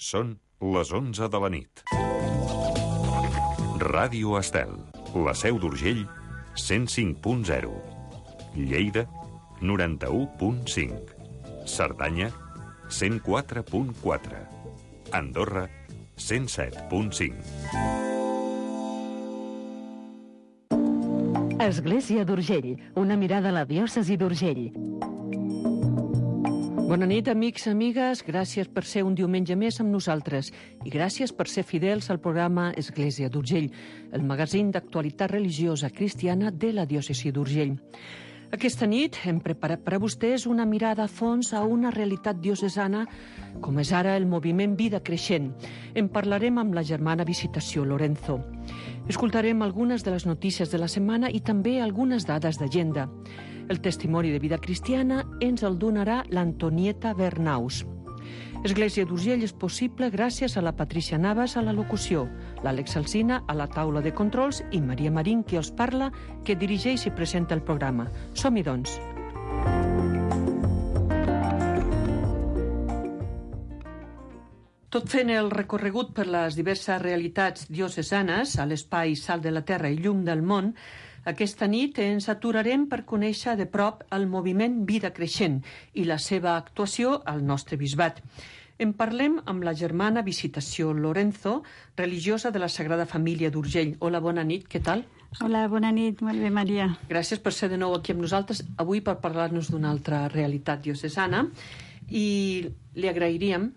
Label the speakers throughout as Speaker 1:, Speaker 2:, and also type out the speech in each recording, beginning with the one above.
Speaker 1: Són les 11 de la nit. Ràdio Estel, la Seu d'Urgell, 105.0. Lleida, 91.5. Cerdanya, 104.4. Andorra, 107.5.
Speaker 2: Església d'Urgell, una mirada a la diòcesi d'Urgell.
Speaker 3: Bona nit, amics, amigues. Gràcies per ser un diumenge més amb nosaltres i gràcies per ser fidels al programa Església d'Urgell, el magazín d'actualitat religiosa cristiana de la diòcesi d'Urgell. Aquesta nit hem preparat per a vostès una mirada a fons a una realitat diocesana com és ara el moviment Vida Creixent. En parlarem amb la germana Visitació Lorenzo. Escoltarem algunes de les notícies de la setmana i també algunes dades d'agenda. El testimoni de vida cristiana ens el donarà l'Antonieta Bernaus. Església d'Urgell és possible gràcies a la Patricia Navas a la locució, l'Àlex Alsina a la taula de controls i Maria Marín, qui els parla, que dirigeix i presenta el programa. Som-hi, doncs. Tot fent el recorregut per les diverses realitats diocesanes a l'espai Sal de la Terra i Llum del Món, aquesta nit ens aturarem per conèixer de prop el moviment Vida Creixent i la seva actuació al nostre bisbat. En parlem amb la germana Visitació Lorenzo, religiosa de la Sagrada Família d'Urgell. Hola, bona nit, què tal?
Speaker 4: Hola, bona nit, molt bé, Maria.
Speaker 3: Gràcies per ser de nou aquí amb nosaltres, avui per parlar-nos d'una altra realitat diocesana, i li agrairíem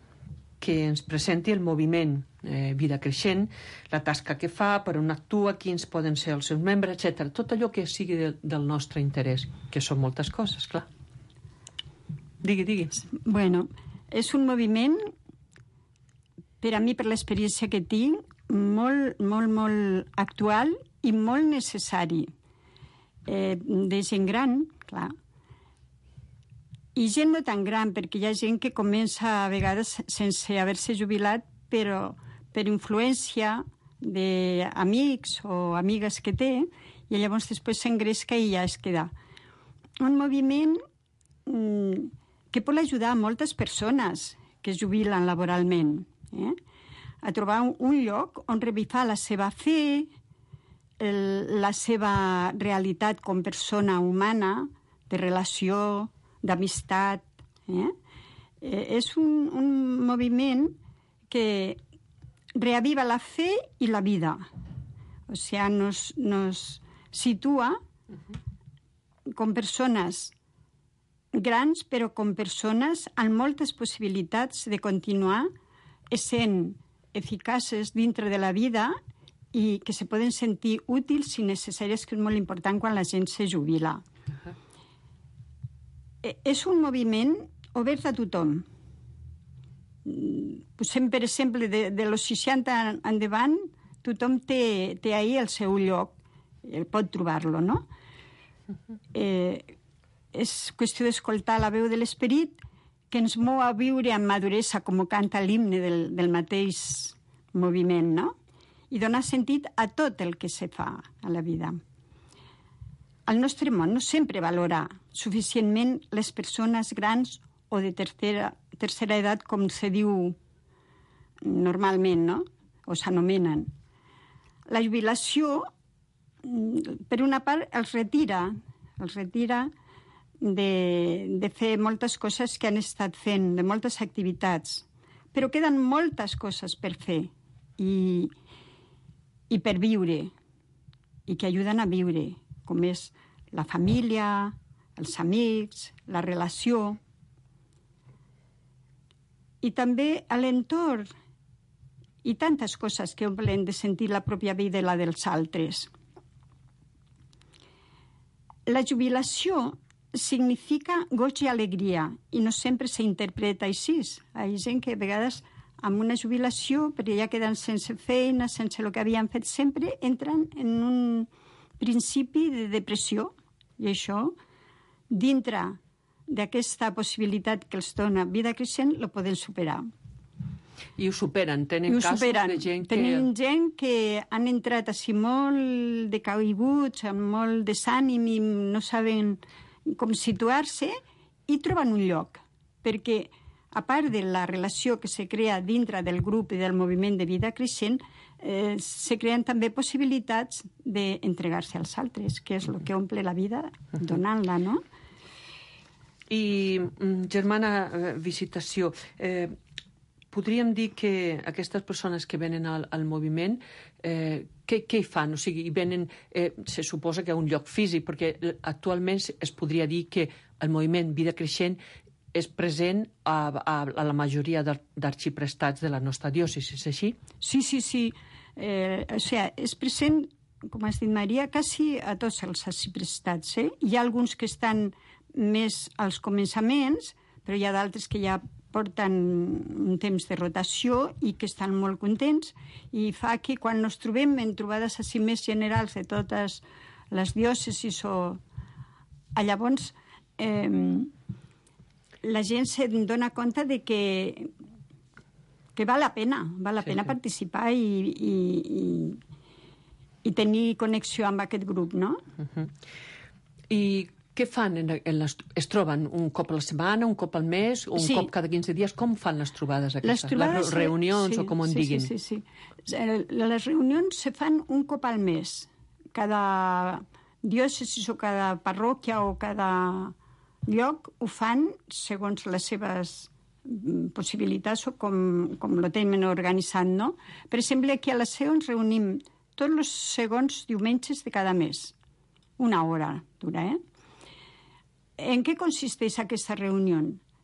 Speaker 3: que ens presenti el moviment Vida Creixent, la tasca que fa, per on actua, quins poden ser els seus membres, etc. Tot allò que sigui del nostre interès, que són moltes coses, clar. Digui.
Speaker 4: Bueno, és un moviment, per a mi, per l'experiència que tinc, molt, molt, molt actual i molt necessari. De gent gran, clar, i gent no tan gran, perquè hi ha gent que comença a vegades sense haver-se jubilat, però per influència d'amics o amigues que té, i llavors després s'engresca i ja es queda. Un moviment que pot ajudar a moltes persones que es jubilen laboralment, a trobar un lloc on revifar la seva fe, la seva realitat com persona humana, de relació, d'amistat. És un moviment que reaviva la fe i la vida. O sigui, nos situa com persones grans, però com persones amb moltes possibilitats de continuar essent eficaces dintre de la vida i que se poden sentir útils i necessàries, que és molt important quan la gent se jubila. És un moviment obert a tothom. Posem, per exemple, de los 60 endavant, tothom té ahí el seu lloc, pot trobar-lo, no? És qüestió d'escoltar la veu de l'esperit que ens mou a viure amb maduresa, com canta l'himne del mateix moviment, no? I donar sentit a tot el que se fa a la vida. El nostre món no sempre valora suficientment les persones grans o de tercera edat, com se diu normalment, no? O s'anomenen. La jubilació, per una part, els retira de fer moltes coses que han estat fent, de moltes activitats, però queden moltes coses per fer i per viure, i que ajuden a viure, com és la família, els amics, la relació, i també a l'entorn, i tantes coses que omplen de sentir la pròpia vida i la dels altres. La jubilació significa goig i alegria, i no sempre s'interpreta així. Hi ha gent que a vegades amb una jubilació, perquè ja queden sense feina, sense el que havien fet sempre, entren en un principi de depressió, i això, dintre d'aquesta possibilitat que els dona Vida Creixent, lo poden superar.
Speaker 3: I ho superen, tenen casos de gent que...
Speaker 4: Tenim gent que han entrat així molt decaiguts, amb molt desànim i no saben com situar-se, i troben un lloc, perquè a part de la relació que se crea dintre del grup i del moviment de vida creixent, se creen també possibilitats d'entregar-se als altres, que és el que omple la vida donant-la, no?
Speaker 3: I, germana Visitació, podríem dir que aquestes persones que venen al moviment, què hi fan? O sigui, venen, se suposa que a un lloc físic, perquè actualment es podria dir que el moviment Vida Creixent és present a la majoria d'arxiprestats de la nostra diòcesi, és així?
Speaker 4: Sí. O sigui, és present, com has dit, Maria, quasi a tots els arxiprestats. Hi ha alguns que estan més als començaments, però hi ha d'altres que ja porten un temps de rotació i que estan molt contents, i fa que quan ens trobem en trobades així més generals de totes les diòcesis llavors la gent se dona compte de que val la pena participar i tenir connexió amb aquest grup, no?
Speaker 3: I què fan? Es troben un cop a la setmana, un cop al mes, o un cop cada 15 dies? Com fan les trobades aquestes? Les reunions, o com en diguin?
Speaker 4: Sí. Les reunions se fan un cop al mes. Cada diòcesi o cada parròquia o cada lloc ho fan segons les seves possibilitats o com lo tenen organitzat, no? Per exemple, aquí a la Seu ens reunim tots els segons diumenges de cada mes. Una hora dura, En què consisteix aquesta reunió?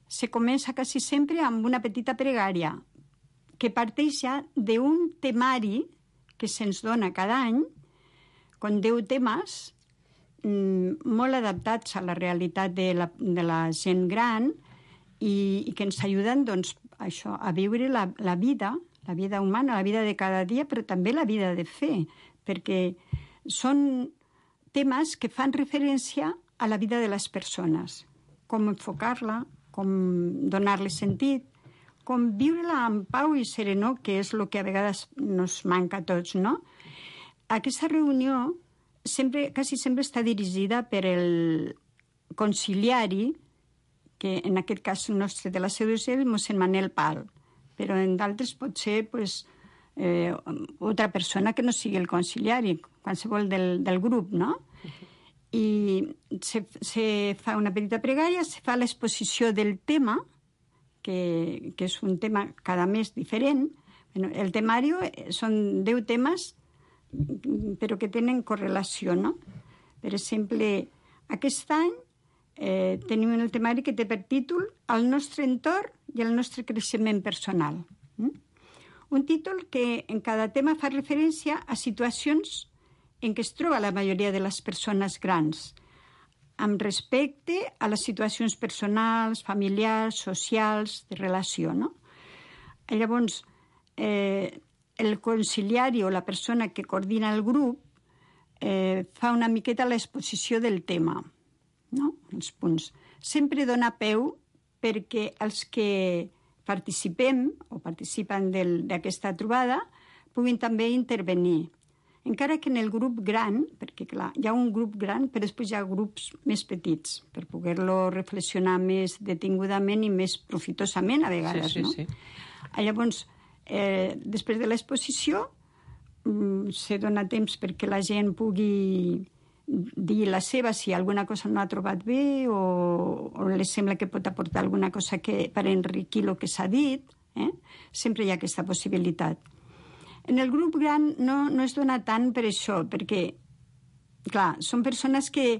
Speaker 4: Se comença quasi sempre amb una petita pregària que parteix ja d'un temari que se'ns dona cada any, con 10 temes molt adaptats a la realitat de la gent gran i que ens ajuden, doncs, això, a viure la vida humana, la vida de cada dia, però també la vida de fe, perquè són temes que fan referència a la vida de les persones, com enfocar-la, com donar-li sentit, com viure-la amb pau i serenor, que és el que a vegades ens manca a tots, no? Aquesta reunió quasi sempre està dirigida per el conciliari, que en aquest cas nostre de la Seu d'Urgell, mossèn Manel Pal, però en d'altres pot ser altra persona que no sigui el conciliari, qualsevol del grup, no? I se fa una petita pregària, se fa l'exposició del tema, que és un tema cada mes diferent. El temari són 10 temes, però que tenen correlació, no? Per exemple, aquest any tenim el temari que té per títol El nostre entorn i el nostre creixement personal. Un títol que en cada tema fa referència a situacions en què es troba la majoria de les persones grans, amb respecte a les situacions personals, familiars, socials, de relació, no? Llavors, el conciliari o la persona que coordina el grup fa una miqueta l'exposició del tema, no? Els punts. Sempre dona peu perquè els que participem o participen d'aquesta trobada puguin també intervenir. Encara que en el grup gran, perquè clar, hi ha un grup gran, però després hi ha grups més petits, per poder-lo reflexionar més detingudament i més profitosament a vegades, no? Sí. Llavors, després de l'exposició, se dona temps perquè la gent pugui dir la seva, si alguna cosa no ha trobat bé o li sembla que pot aportar alguna cosa per enriquir el que s'ha dit. Sempre hi ha aquesta possibilitat. En el grup gran no es dona tant per això, perquè, clar, són persones que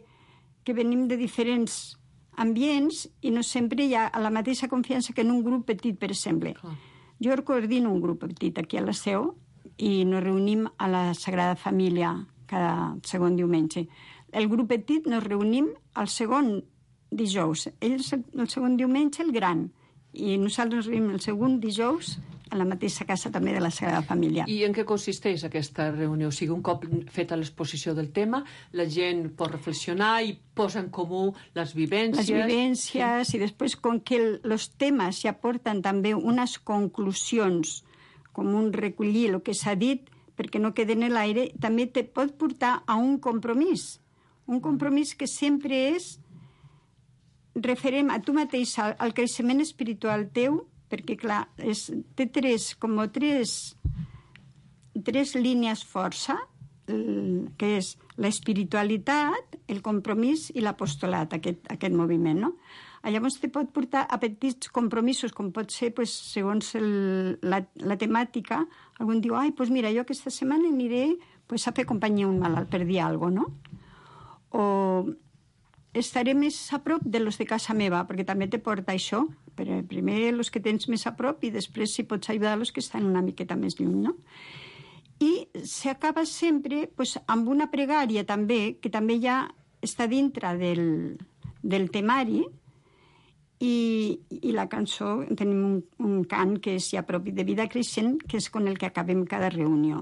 Speaker 4: venim de diferents ambients i no sempre hi ha la mateixa confiança que en un grup petit, per exemple. Clar. Jo coordino un grup petit aquí a la Seu i nos reunim a la Sagrada Família cada segon diumenge. El grup petit nos reunim al segon dijous. Ells el segon diumenge, el gran. I nosaltres nos reunim el segon dijous a la mateixa casa també de la Sagrada Família.
Speaker 3: I en què consisteix aquesta reunió? O sigui, un cop feta l'exposició del tema, la gent pot reflexionar i posa en comú les vivències.
Speaker 4: Les vivències, sí. I després, com que els temes ja porten també unes conclusions, com un recollir el que s'ha dit, perquè no quede en l'aire, també te pot portar a un compromís. Un compromís que sempre és referent a tu mateix, al creixement espiritual teu, perquè, clar, té tres línies força, que és l'espiritualitat, el compromís i l'apostolat, aquest moviment, no? Llavors te pot portar a petits compromisos, com pot ser, pues, segons la temàtica. Algun diu, pues mira, jo aquesta setmana aniré pues, a fer companyia a un malalt, per dir alguna cosa, no? O estaré més a prop de los de casa meva, perquè també te porta això. Primer els que tens més a prop i després si pots ajudar els que estan una miqueta més lluny, no? I s'acaba sempre pues, amb una pregària també, que també ja està dintre del temari, i la cançó, tenim un cant que és ja propi de Vida Creixent, que és con el que acabem cada reunió.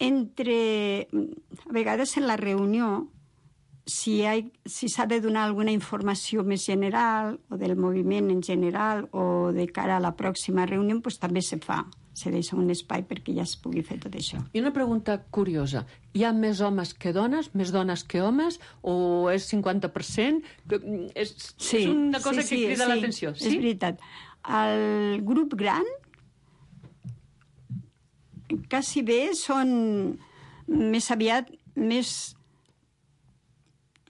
Speaker 4: A vegades en la reunió, si s'ha de donar alguna informació més general, o del moviment en general, o de cara a la pròxima reunió, pues, també se fa. Se deixa un espai perquè ja es pugui fer tot això.
Speaker 3: I una pregunta curiosa. Hi ha més homes que dones, més dones que homes, o és 50%? És una cosa que crida l'atenció.
Speaker 4: Sí, és veritat. El grup gran quasi bé són més aviat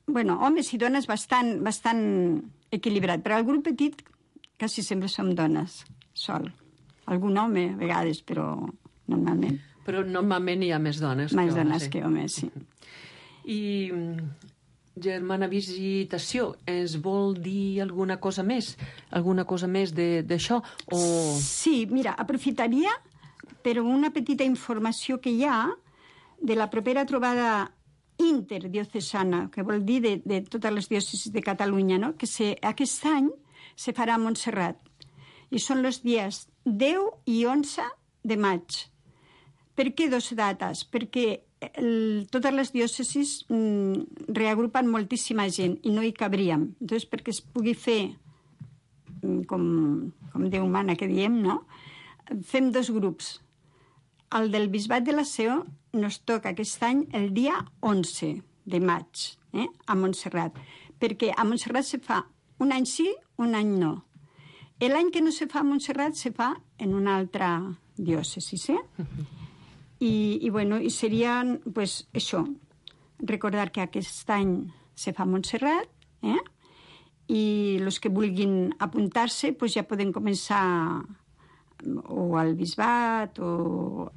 Speaker 4: homes i dones bastant equilibrat, però el grup petit quasi sempre som dones, sol. Algun home, a vegades, però normalment.
Speaker 3: Però normalment hi ha més dones
Speaker 4: més dones que homes, sí.
Speaker 3: I germana visitació, ens vol dir alguna cosa més? Alguna cosa més d'això?
Speaker 4: Sí, mira, aprofitaria per una petita informació que hi ha de la propera trobada interdiocesana, que vol dir de totes les diòcesis de Catalunya, no? Que aquest any se farà a Montserrat. I són els dies 10 i 11 de maig. Per què 2 dates? Perquè totes les diòcesis reagrupen moltíssima gent i no hi cabríem. Entonces, perquè es pugui fer, com Déu mana que diem, no? Fem 2 grups. El del Bisbat de la Seu nos toca aquest any el dia 11 de maig, a Montserrat. Perquè a Montserrat se fa un any sí, un any no. L'any que no se fa a Montserrat se fa en una altra diòcesi, I seria, pues, això, recordar que aquest any se fa a Montserrat, i els que vulguin apuntar-se, pues, ja poden començar o al Bisbat o...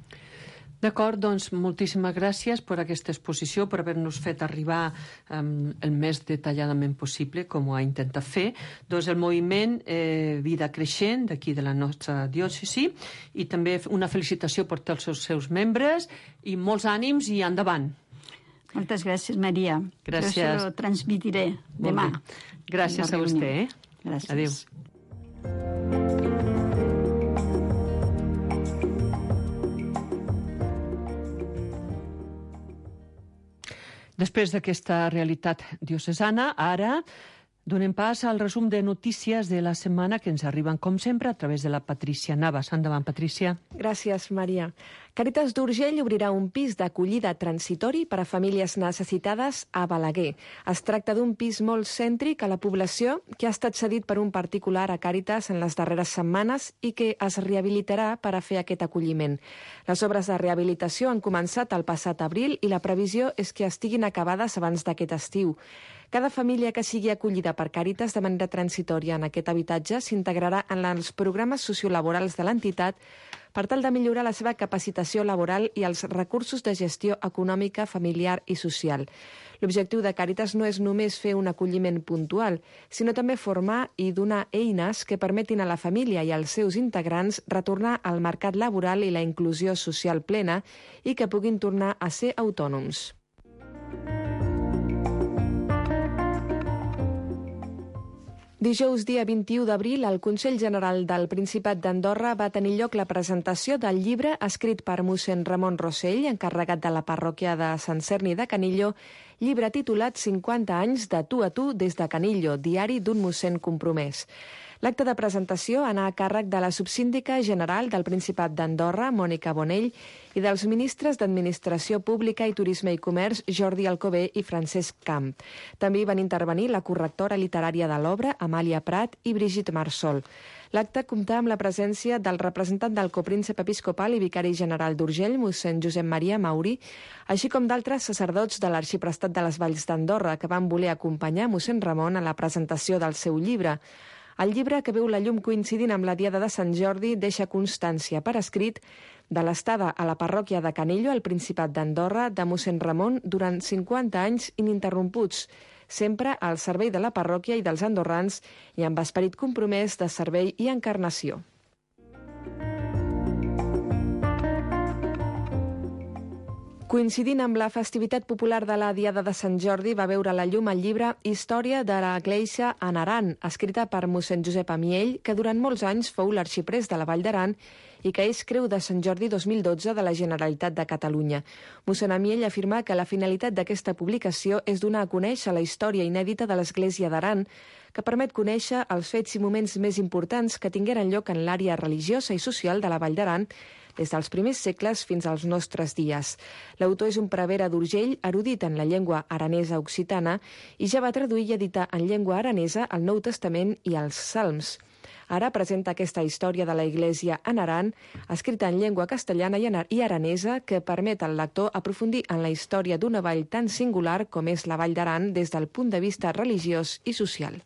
Speaker 3: D'acord, doncs moltíssimes gràcies per aquesta exposició, per haver-nos fet arribar el més detalladament possible, com ho ha intentat fer, doncs el moviment Vida Creixent d'aquí de la nostra diòcesi, i també una felicitació per tots els seus membres i molts ànims i endavant.
Speaker 4: Moltes gràcies, Maria.
Speaker 3: Gràcies.
Speaker 4: Jo se lo transmitiré demà.
Speaker 3: Gràcies a vostè.
Speaker 4: Gràcies.
Speaker 3: Adéu. Després d'aquesta realitat diocesana, ara donem pas al resum de notícies de la setmana que ens arriben, com sempre, a través de la Patrícia Navas. Endavant, Patrícia.
Speaker 5: Gràcies, Maria. Càritas d'Urgell obrirà un pis d'acollida transitori per a famílies necessitades a Balaguer. Es tracta d'un pis molt cèntric a la població que ha estat cedit per un particular a Càritas en les darreres setmanes i que es rehabilitarà per a fer aquest acolliment. Les obres de rehabilitació han començat el passat abril i la previsió és que estiguin acabades abans d'aquest estiu. Cada família que sigui acollida per Càritas de manera transitòria en aquest habitatge s'integrarà en els programes sociolaborals de l'entitat per tal de millorar la seva capacitació laboral i els recursos de gestió econòmica, familiar i social. L'objectiu de Càritas no és només fer un acolliment puntual, sinó també formar i donar eines que permetin a la família i als seus integrants retornar al mercat laboral i la inclusió social plena i que puguin tornar a ser autònoms. Dijous, dia 21 d'abril, al Consell General del Principat d'Andorra va tenir lloc la presentació del llibre escrit per mossèn Ramon Rossell, encarregat de la parròquia de Sant Cerni de Canillo, llibre titulat 50 anys de tu a tu des de Canillo, diari d'un mossèn compromès. L'acte de presentació anà a càrrec de la subsíndica general del Principat d'Andorra, Mònica Bonell, i dels ministres d'Administració Pública i Turisme i Comerç, Jordi Alcover i Francesc Camp. També hi van intervenir la correctora literària de l'obra, Amàlia Prat, i Brigitte Marsol. L'acte comptà amb la presència del representant del copríncep episcopal i vicari general d'Urgell, mossèn Josep Maria Mauri, així com d'altres sacerdots de l'Arxiprestat de les Valls d'Andorra, que van voler acompanyar mossèn Ramon a la presentació del seu llibre. El llibre, que veu la llum coincidint amb la Diada de Sant Jordi, deixa constància per escrit de l'estada a la parròquia de Canillo, al Principat d'Andorra, de mossèn Ramon durant 50 anys ininterromputs, sempre al servei de la parròquia i dels andorrans i amb esperit compromès de servei i encarnació. Coincidint amb la festivitat popular de la Diada de Sant Jordi, va veure la llum el llibre Història de la Iglesia en Aran, escrita per mossèn Josep Amiell, que durant molts anys fou l'arxiprés de la Vall d'Aran i que és Creu de Sant Jordi 2012 de la Generalitat de Catalunya. Mossèn Amiell afirma que la finalitat d'aquesta publicació és donar a conèixer la història inèdita de l'Església d'Aran, que permet conèixer els fets i moments més importants que tingueren lloc en l'àrea religiosa i social de la Vall d'Aran des dels primers segles fins als nostres dies. L'autor és un prevere d'Urgell, erudit en la llengua aranesa occitana, i ja va traduir i editar en llengua aranesa el Nou Testament i els Salms. Ara presenta aquesta història de la Iglesia en Aran, escrita en llengua castellana i aranesa, que permet al lector aprofundir en la història d'una vall tan singular com és la Vall d'Aran des del punt de vista religiós i social.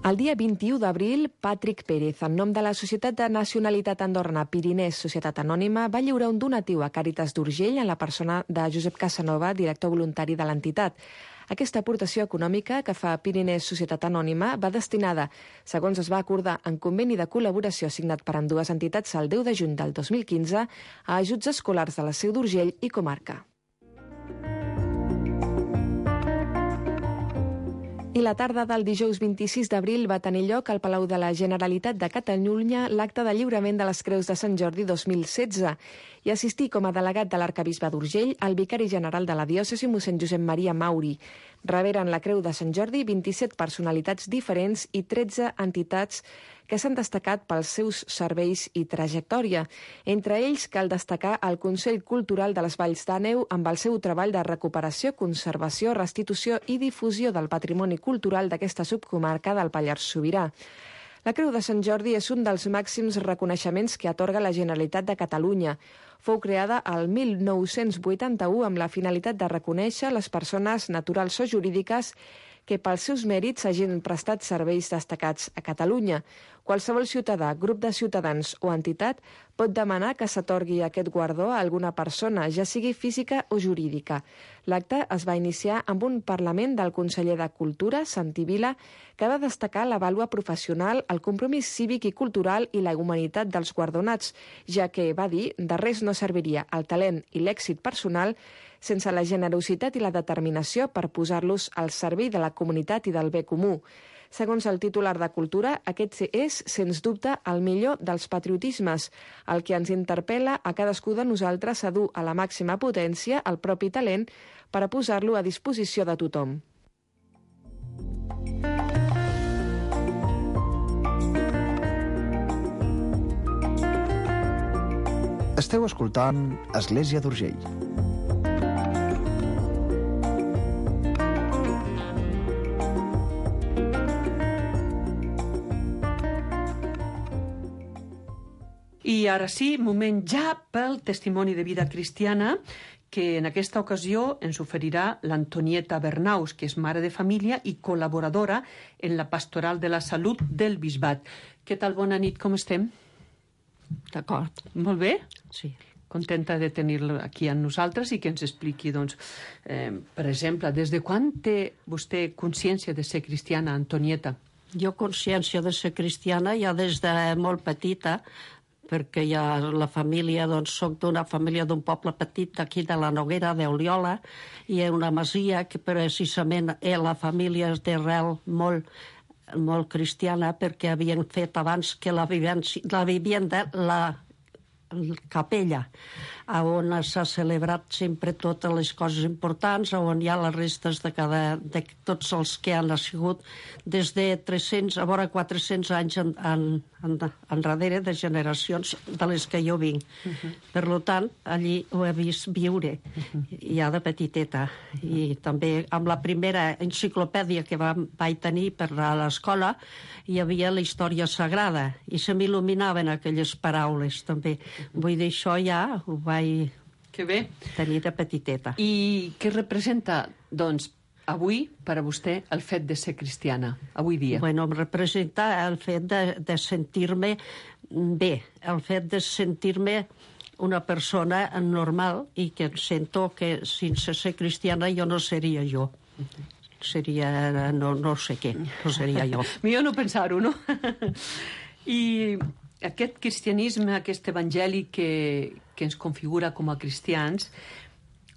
Speaker 5: El dia 21 d'abril, Patrick Pérez, en nom de la Societat de Nacionalitat Andorrana Pirinès Societat Anònima, va lliurar un donatiu a Càritas d'Urgell en la persona de Josep Casanova, director voluntari de l'entitat. Aquesta aportació econòmica que fa Pirinès Societat Anònima va destinada, segons es va acordar en conveni de col·laboració signat per ambdues entitats el 10 de juny del 2015, a ajuts escolars de la Seu d'Urgell i comarca. I la tarda del dijous 26 d'abril va tenir lloc al Palau de la Generalitat de Catalunya l'acte de lliurament de les Creus de Sant Jordi 2016 i assistí com a delegat de l'Arquebisbe d'Urgell el vicari general de la diòcesi, mossèn Josep Maria Mauri. Reberen la Creu de Sant Jordi 27 personalitats diferents i 13 entitats que s'han destacat pels seus serveis i trajectòria. Entre ells cal destacar el Consell Cultural de les Valls d'Àneu amb el seu treball de recuperació, conservació, restitució i difusió del patrimoni cultural d'aquesta subcomarca del Pallars Sobirà. La Creu de Sant Jordi és un dels màxims reconeixements que atorga la Generalitat de Catalunya. Fou creada el 1981 amb la finalitat de reconèixer les persones naturals o jurídiques que pels seus mèrits hagin prestat serveis destacats a Catalunya. Qualsevol ciutadà, grup de ciutadans o entitat pot demanar que s'atorgui aquest guardó a alguna persona, ja sigui física o jurídica. L'acte es va iniciar amb un parlament del conseller de Cultura, Santi Vila, que va destacar la vàlua professional, el compromís cívic i cultural i la humanitat dels guardonats, ja que, va dir, de res no serviria el talent i l'èxit personal sense la generositat i la determinació per posar-los al servei de la comunitat i del bé comú. Segons el titular de Cultura, aquest és, sens dubte, el millor dels patriotismes, el que ens interpel·la a cadascú de nosaltres a dur a la màxima potència el propi talent per a posar-lo a disposició de tothom.
Speaker 6: Esteu escoltant Església d'Urgell.
Speaker 3: I ara sí, moment ja pel testimoni de vida cristiana, que en aquesta ocasió ens oferirà l'Antonieta Bernaus, que és mare de família i col·laboradora en la Pastoral de la Salut del Bisbat. Què tal? Bona nit, com estem?
Speaker 7: D'acord.
Speaker 3: Molt bé?
Speaker 7: Sí.
Speaker 3: Contenta de tenir-la aquí amb nosaltres i que ens expliqui, doncs, per exemple, des de quan té vostè consciència de ser cristiana, Antonieta?
Speaker 7: Jo consciència de ser cristiana ja des de molt petita, perquè ja la família, doncs, soc d'una família d'un poble petit d'aquí de la Noguera, d'Oliola, i és una masia que precisament la família és d'arrel molt cristiana, perquè havien fet abans que la vivienda, capella, on s'ha celebrat sempre totes les coses importants, on hi ha les restes de tots els que han nascut des de 300, a vora 400 anys enrere de generacions de les que jo vinc. Per tant, allí ho he vist viure, ja de petiteta. I també amb la primera enciclopèdia que vaig tenir per a l'escola hi havia la història sagrada i se m'il·luminaven aquelles paraules també. Vull dir, això ja ho vaig tenir de petiteta.
Speaker 3: I què representa, doncs, avui, per a vostè, el fet de ser cristiana, avui dia?
Speaker 7: Bueno, em representa el fet de sentir-me bé, el fet de sentir-me una persona normal i que sento que sense ser cristiana jo no seria jo. Seria no sé què, no seria jo.
Speaker 3: Millor no pensar-ho, no? I aquest cristianisme, aquest evangeli que ens configura com a cristians,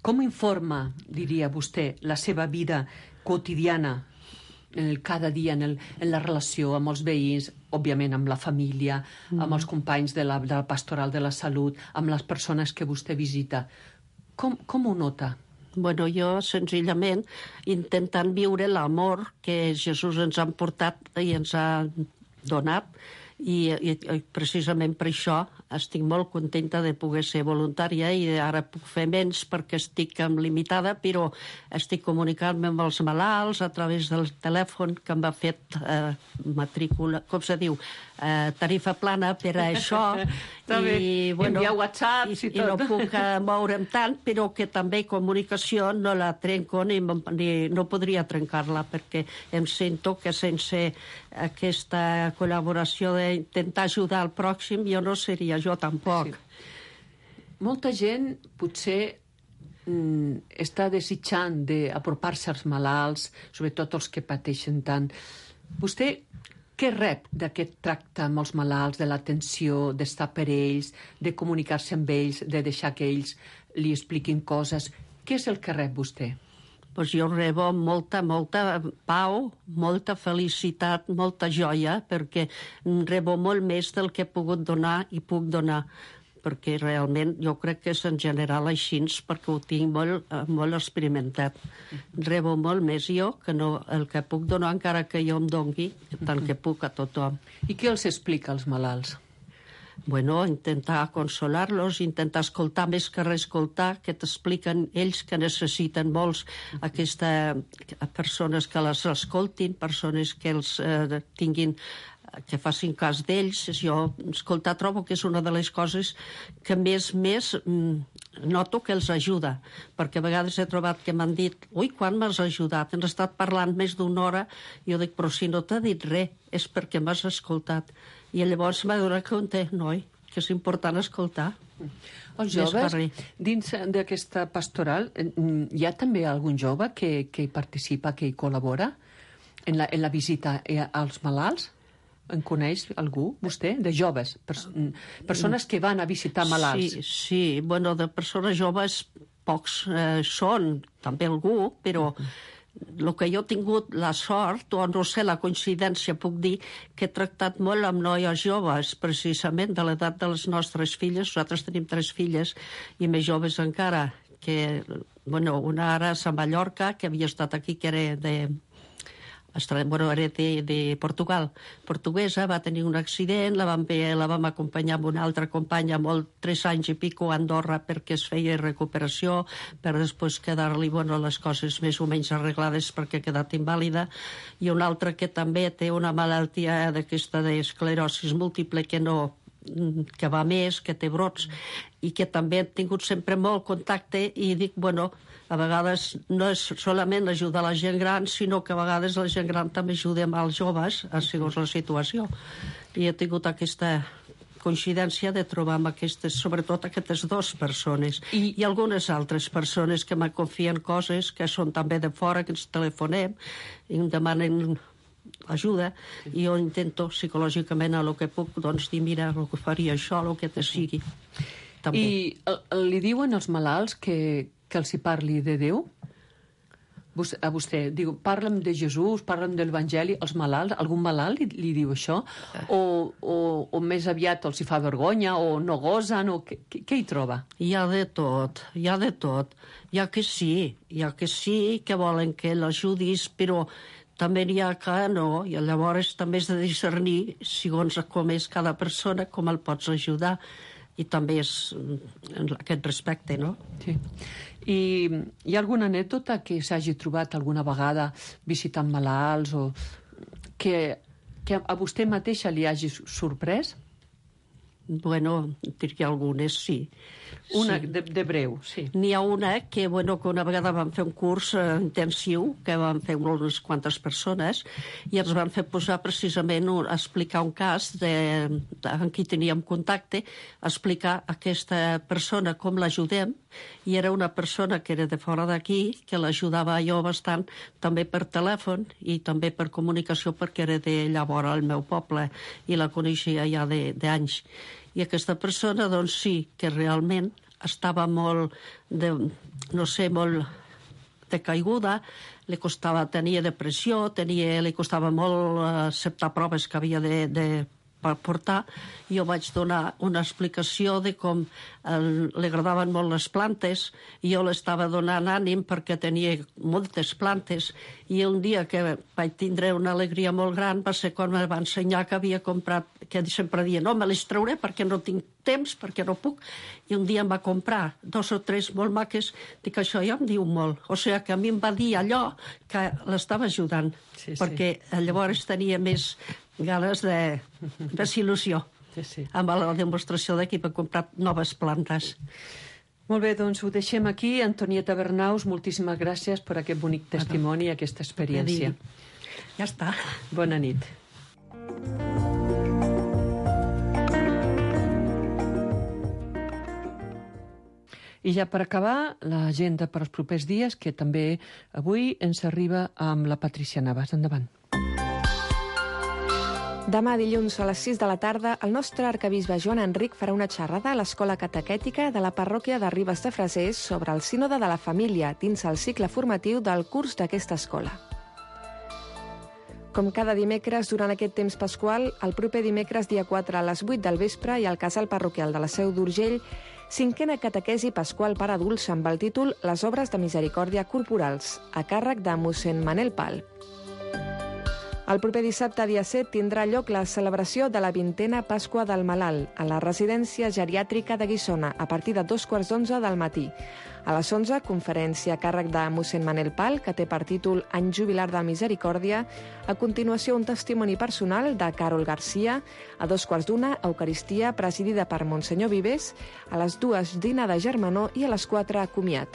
Speaker 3: com informa, diria vostè, la seva vida quotidiana, cada dia, en la relació amb els veïns, òbviament amb la família, amb els companys de la pastoral de la salut, amb les persones que vostè visita? Com ho nota?
Speaker 7: Bueno, jo, senzillament, intentant viure l'amor que Jesús ens ha portat i ens ha donat, i precisament per això estic molt contenta de poder ser voluntària i ara puc fer menys perquè estic limitada, però estic comunicant-me amb els malalts a través del telèfon que m'ha fet matrícula, com se diu, tarifa plana per a això.
Speaker 3: I, bueno, enviar whatsapps i tot.
Speaker 7: I no puc moure'm tant, però que també comunicació no la trenco ni no podria trencar-la perquè em sento que sense aquesta col·laboració d'intentar ajudar el pròxim jo no seria jo tampoc.
Speaker 3: Sí. Molta gent potser està desitjant d'apropar-se als malalts, sobretot els que pateixen tant. Vostè què rep d'aquest tracte amb els malalts, de l'atenció, d'estar per ells, de comunicar-se amb ells, de deixar que ells li expliquin coses? Què és el que rep vostè?
Speaker 7: Pues jo rebo molta pau, molta felicitat, molta joia, perquè rebo molt més del que he pogut donar i puc donar, perquè realment jo crec que és en general així, perquè ho tinc molt experimentat. Rebo molt més jo que no el que puc donar, encara que jo em dongui tant que puc a tothom.
Speaker 3: I què els explica als malalts?
Speaker 7: Bueno, intentar consolar-los, intentar escoltar més que reescoltar, que t'expliquen ells que necessiten molts aquestes persones que les escoltin, persones que els tinguin, que facin cas d'ells. Jo escoltar trobo que és una de les coses que més noto que els ajuda, perquè a vegades he trobat que m'han dit ui, quan m'has ajudat? Hem estat parlant més d'una hora i jo dic, però si no t'ha dit res, és perquè m'has escoltat. I llavors m'ha donat compte, noi, que és important escoltar.
Speaker 3: Els joves, dins d'aquesta pastoral, hi ha també algun jove que hi participa, que hi col·labora en la visita als malalts? En coneix algú, vostè, de joves? Persones que van a visitar malalts.
Speaker 7: Sí, bueno, de persones joves pocs són, també algú, però el que jo he tingut la sort, o no sé, la coincidència, puc dir que he tractat molt amb noies joves, precisament de l'edat de les nostres filles. Nosaltres tenim 3 filles i més joves encara, que, bueno, una ara és a Mallorca, que havia estat aquí, que era de Portugal, portuguesa, va tenir un accident, la vam acompanyar amb una altra companya 3 anys i pico a Andorra perquè es feia recuperació, per després quedar-li les coses més o menys arreglades perquè ha quedat invàlida, i una altra que també té una malaltia d'aquesta d'esclerosi múltiple que va més, que té brots, i que també hem tingut sempre molt contacte, i dic, bueno, a vegades no és solament ajudar la gent gran, sinó que a vegades la gent gran també ajuda als joves, segons la situació. I he tingut aquesta coincidència de trobar amb sobretot aquestes 2 persones. I algunes altres persones que me confien coses, que són també de fora, que ens telefonem i em demanen ajuda, i jo intento psicològicament a lo que puc, doncs dir, mira, el que faria això, el que te sigui. També.
Speaker 3: I li diuen als malalts que els hi parli de Déu? a vostè, diu, parla'm de Jesús, parla'm de l'Evangeli, els malalts, algun malalt li diu això? O més aviat els hi fa vergonya, o no gosen, o què hi troba?
Speaker 7: Hi ha de tot, hi ha de tot. Hi ha que sí, que volen que l'ajudis, però també n'hi ha que no, i llavors també has de discernir, segons com és cada persona, com el pots ajudar. I també és en aquest respecte, no?
Speaker 3: Sí. I hi ha alguna anècdota que s'hagi trobat alguna vegada visitant malalts o que a vostè mateixa li hagi sorprès?
Speaker 7: Bueno, diria algunes, sí.
Speaker 3: Una
Speaker 7: sí.
Speaker 3: de breu, sí.
Speaker 7: N'hi ha una que una vegada vam fer un curs intensiu, que vam fer unes quantes persones, i ens van fer posar precisament a explicar un cas amb qui teníem contacte, explicar a aquesta persona com l'ajudem, i era una persona que era de fora d'aquí, que l'ajudava jo bastant, també per telèfon i també per comunicació, perquè era de llavors al meu poble i la coneixia ja d'anys. I aquesta persona, doncs sí, que realment estava molt molt decaiguda, li costava, tenia depressió, li costava molt acceptar proves que havia de portar. Jo vaig donar una explicació de com li agradaven molt les plantes, i jo l'estava donant ànim perquè tenia moltes plantes, i un dia que vaig tindre una alegria molt gran va ser quan me va ensenyar que havia comprat, que sempre deia, no, me les trauré perquè no tinc temps, perquè no puc, i un dia em va comprar 2 o 3 molt maques. Dic, això ja em diu molt. O sigui que a mi em va dir allò que l'estava ajudant, perquè llavors tenia més ganes de il·lusió amb la demostració de que he comprat noves plantes.
Speaker 3: Molt bé, doncs ho deixem aquí. Antonieta Bernaus, moltíssimes gràcies per aquest bonic testimoni i aquesta experiència.
Speaker 7: Ja està.
Speaker 3: Bona nit. I ja per acabar, l'agenda per als propers dies, que també avui ens arriba amb la Patricia Navas. Endavant.
Speaker 5: Demà dilluns a les 6 de la tarda, el nostre arquebisbe Joan Enric farà una xerrada a l'Escola Catequètica de la parròquia de Ribes de Frasers sobre el sínode de la família dins el cicle formatiu del curs d'aquesta escola. Com cada dimecres, durant aquest temps pasqual, el proper dimecres, dia 4, a les 8 del vespre, i al casal parroquial de la Seu d'Urgell, 5a catequesi pasqual per adults amb el títol Les obres de misericòrdia corporals, a càrrec de mossèn Manel Pal. El proper dissabte, dia 7, tindrà lloc la celebració de la 20a Pasqua del Malalt a la residència geriàtrica de Guissona a partir de 2:15 del matí. A les 11, conferència a càrrec de mossèn Manel Pal, que té per títol Any Jubilar de Misericòrdia. A continuació, un testimoni personal de Carol Garcia. A 2:15, Eucaristia, presidida per Monsenyor Vives. A les 2, dinar de germanor, i a les 4, comiat.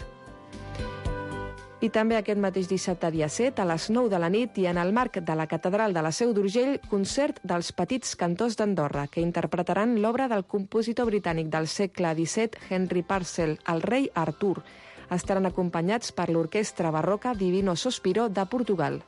Speaker 5: I també aquest mateix dissabte, dia 7, a les 9 de la nit, i en el marc de la Catedral de la Seu d'Urgell, concert dels Petits Cantors d'Andorra, que interpretaran l'obra del compositor britànic del segle XVII, Henry Purcell, El rei Artur. Estaran acompanyats per l'orquestra barroca Divino Sospiro de Portugal.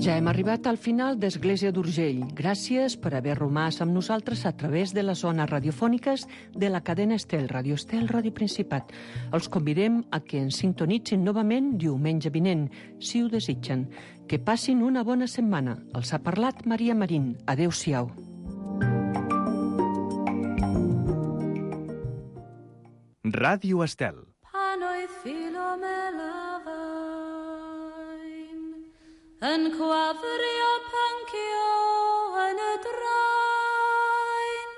Speaker 3: Ja hem arribat al final d'Església d'Urgell. Gràcies per haver romàs amb nosaltres a través de les zones radiofòniques de la cadena Estel, Radio Estel, Ràdio Principat. Els convidem a que ens sintonitzin novament diumenge vinent, si ho desitgen. Que passin una bona setmana. Els ha parlat Maria Marín. Adéu-siau.
Speaker 8: Ràdio Estel.
Speaker 9: Yn gwafrio pyncio yn y draen,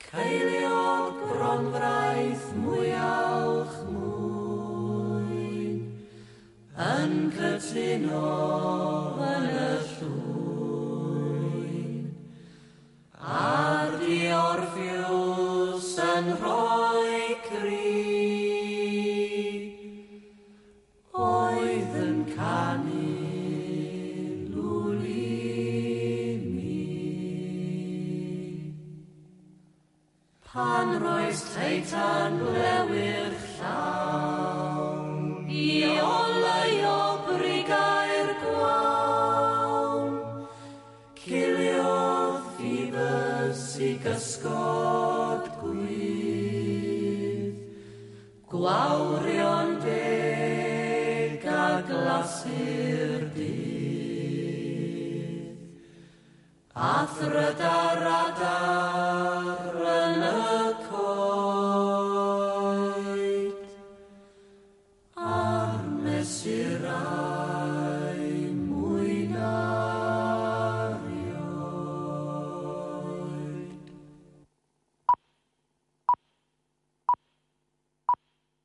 Speaker 9: ceiliog gronfraith mwyalch mwyn, yn cytuno yn y llwyn, a'r diorffiws yn rhoi cri, oedd yn canu pan roes teitan blewyr llawn, i oleu o brigau'r gwawn. Gwawrion deg a glasur dydd, a thrydar adar